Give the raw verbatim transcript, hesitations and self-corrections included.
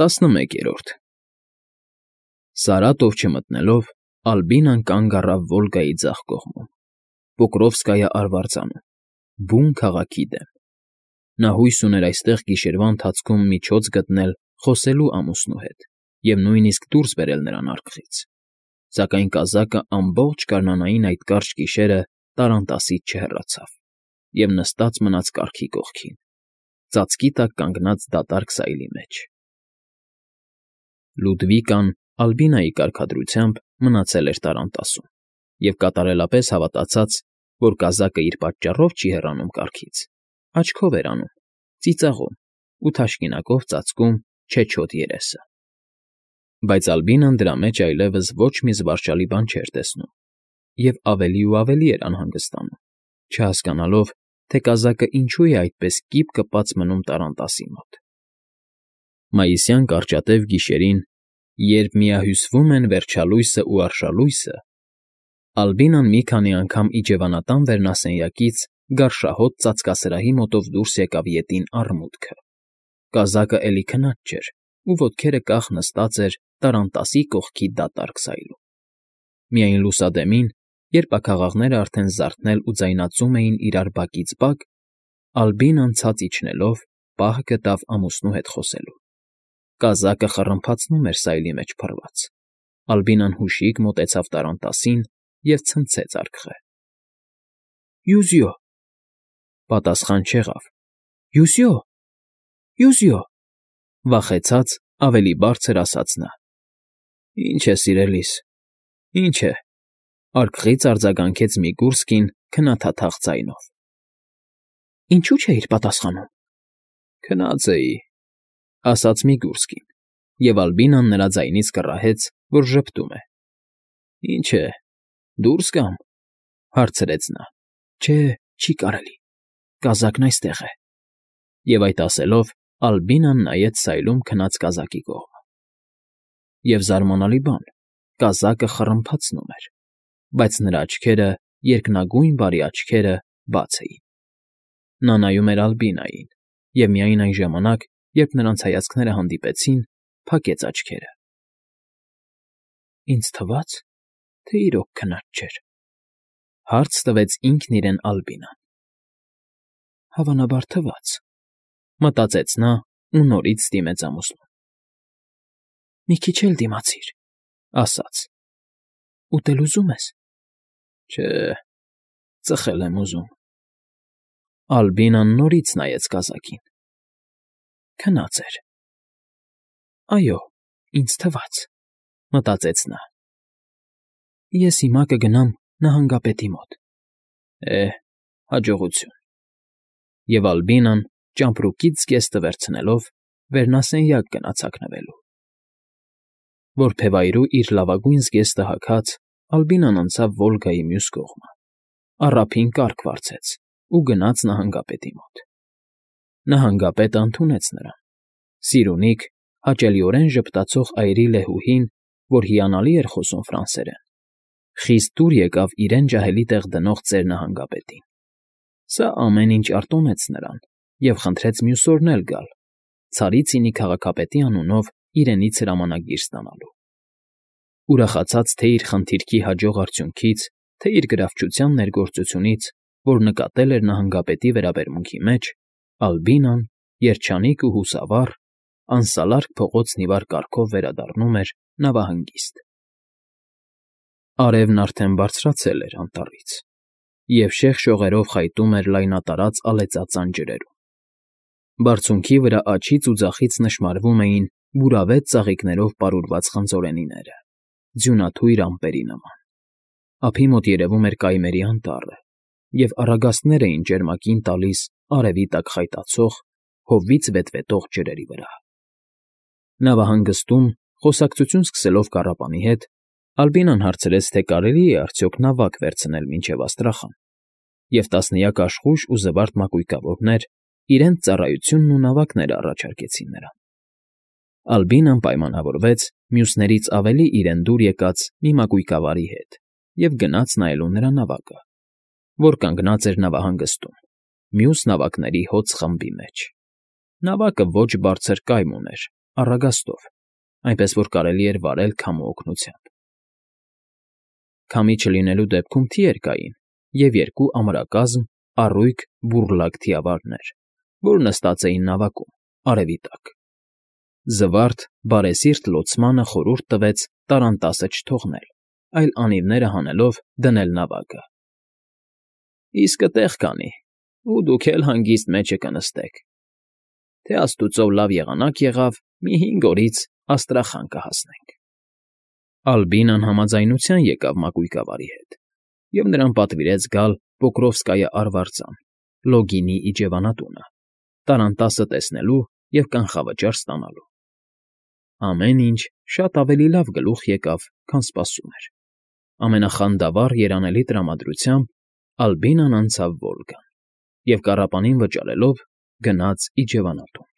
տասնմեկերորդ Սարատով չմտնելով՝ Ալբինան կանգ առավ Վոլգայի ձախ կողմում, Պոկրովսկայա արվարձանում, բուն քաղաքի դեմ. նա հույս ուներ այստեղ գիշերվա ընթացքում միջոց գտնել խոսելու ամուսնու հետ և նույնիսկ դուրս բերել նրան արքից, սակայն կազակը ամբողջ գարնանային այդ կարճ գիշերը տառանտասից չհեռացավ և նստած մնաց կառքի կողքին, ծածկի տակ կանգնած դատարկ սայլի մեջ։ Լուդվիկան Ալբինայի կարգադրությամբ մնացել էր տառանտասում և կատարելապես հավատացած, որ կազակը իր պատճառով չի հեռանում կառքից, աչքով էր անում, ծիծաղում ու թաշկինակով ծածկում չեչոտ երեսը։ Բայց Ալբինան դրա մեջ այլևս ոչ մի զվարճալի բան չէր տեսնում և ավելի ու ավելի էր անհանգստանում, չհասկանալով, թե կազակը ինչու է այդպես կիպ կպած մնում տառանտասի մոտ։ Մայիսյան կարճատև գիշերին, երբ միահյուսվում են վերջալույսն ու արշալույսը, Ալբինան մի քանի անգամ իջևանատան վերնասենյակից գարշահոտ ծածկասրահի մոտով դուրս եկավ ետին առմուտքը։ Կազակը էլի քնած չէր ու ոտքերը կախ նստած էր տառանտասի կողքի դատարկ սայլում։ Միայն լուսադեմին, երբ աքաղաղները արդեն զարթնել ու ձայնածում էին իրար բակից բակ, Ալբինան ցած իջնելով պահ գտավ ամուսնու հետ խոսելու։ Կազակը խռմփացնում էր սայլի մեջ փռված։ Ալբինան հուշիկ մոտեցավ տառանտասին և ցնցեց արկղը։ Յուզիո… Պատասխան չեղավ։ Յուզիո… Յուզիո… Վախեցած, ավելի բարձր ասաց նա։ Ինչ է, սիրելիս, ինչ է… Արկղից արձագանքեց Միգուրսկին քնաթաթախ ձայնով։ Ինչու չէիր պատասխանում։ Քնած էի, ասաց Միգուրսկին, և Ալբինան նրա ձայնից կռահեց, որ ժպտում է։ Ինչ է, դուրս գա՞մ, հարցրեց նա։ Չէ, չի կարելի, կազակն այստեղ է։ Եվ այդ ասելով Ալբինան նայեց սայլում քնած կազակի կողմը։ Եվ զարմանալի բան, կազակը խռմփացնում էր, բայց նրա աչքերը, երկնագույն բարի աչքերը, բաց էին։ Նա նայում էր Ալբինային և միայն այն ժամանակ, երբ նրանց հայացքները հանդիպեցին, փակեց աչքերը։ Ինձ թվաց, թե իրոք քնած չէր, հարց տվեց ինքն իրեն Ալբինան։ Հավանաբար թվաց, մտածեց նա ու նորից դիմեց ամուսնուն։ Մի քիչ էլ դիմացիր, ասաց։ Ուտել ուզում ես։ Չէ, ծխել եմ ուզում։ Ալբինան նորից նայեց կազակին։ Քնած էր։ Այո, ինձ թվաց, մտածեց նա։ Ես հիմա կգնամ նահանգապետի մոտ։ Է, հաջողություն։ Եվ Ալբինան, ճամպրուկից զգեստը վերցնելով, վերնասենյակ գնաց հագնվելու։ Որփևայրու իր լավագույն զգեստը հագած, Ալբինան անցավ Վոլգայի մյուս կողմը, առափին կառք վարձեց ու գնաց նահանգապետի մոտ։ Նահանգապետը ընդունեց նրան։ Սիրունիկ, հաճելիորեն ժպտացող այրի լեհուհին, որ հիանալի էր խոսում ֆրանսերեն, խիստ դուր եկավ իրեն ջահելի տեղ դնող ծեր նահանգապետին։ Սա ամեն ինչ արտոնեց նրան և խնդրեց մյուս օրն էլ գալ, Ցարիցինի քաղաքապետի անունով իրենից հրամանագիր ստանալու։ Ուրախացած թե՛ իր խնդիրքի հաջող արդյունքից, թե՛ իր գրավչության ներգործությունից, որ նկատել էր նահանգապետի վերաբերմունքի մեջ, Ալբինան, երջանիկ ու հուսավառ, անսալարկ փողոցն ի վար կառքով վերադառնում էր նավահանգիստ։ Արևն արդեն բարձրացել էր անտառից և շեղ շողերով խայտում էր լայնատարած ալեծածան ջրերում։ Բարձունքի վրա աջից ու ձախից նշմարվում էին բուրավետ ծաղիկներով պարուրված խնձորենիները, ձյունաթույր ամպերի նման։ Ափի մոտ երևում էր կայմերի անտառը, և առագաստներ էին ճերմակին տալիս արևի տակ խայտացող, հովից վետվետող ջրերի վրա։ Նավահանգստում, խոսակցություն սկսելով կառապանի հետ, Ալբինան հարցրեց, թե կարելի է արդյոք նավակ վերցնել մինչև Աստրախան, և տասնյակ աշխույժ ու զվարթ մակույկավորներ իրենց ծառայությունն ու նավակները առաջարկեցին նրան։ Ալբինան պայմանավորվեց մյուսներից ավելի իրեն դուր եկած մի մակույկավարի հետ և գնաց նայելու նրա նավակը, որ կանգնած էր նավահանգստում, մյուս նավակների հոծ խմբի մեջ։ Նավակը ոչ բարձր կայմ ուներ առագաստով, այնպես որ կարելի էր վարել քամու օգնությամբ։ Քամի չլինելու դեպքում թիեր կային և երկու ամրակազմ, առույգ բուռլակ թիավարներ, որ նստած էին նավակում, արևի տակ։ Զվարթ, բարեսիրտ լոցմանը խորհուրդ տվեց տառանտասը չթողնել, այլ անիվները հանելով դնել նավակը։ ֊ Իսկը տեղ կանի, ու դուք էլ հանգիստ մեջը կնստեք, թե աստուծով լավ եղանակ եղավ, մի հինգ օրից Աստրախան կհասնենք։ Ալբինան համաձայնության եկավ մակույկավարի հետ, և նրան պատվիրեց գալ Պոկրովսկայի արվարձան, Լոգինի իջևանատունը, տառանտասը տեսնելու և կանխավճար ստանալու։ Ամեն ինչ շատ ավելի լավ գլուխ եկավ, քան սպասում էր։ Ամենախանդավառ երանելի տրամադրությամբ Ալբինան անցավ Վոլգան և, կառապանին վճարելով, գնաց իջևանատուն։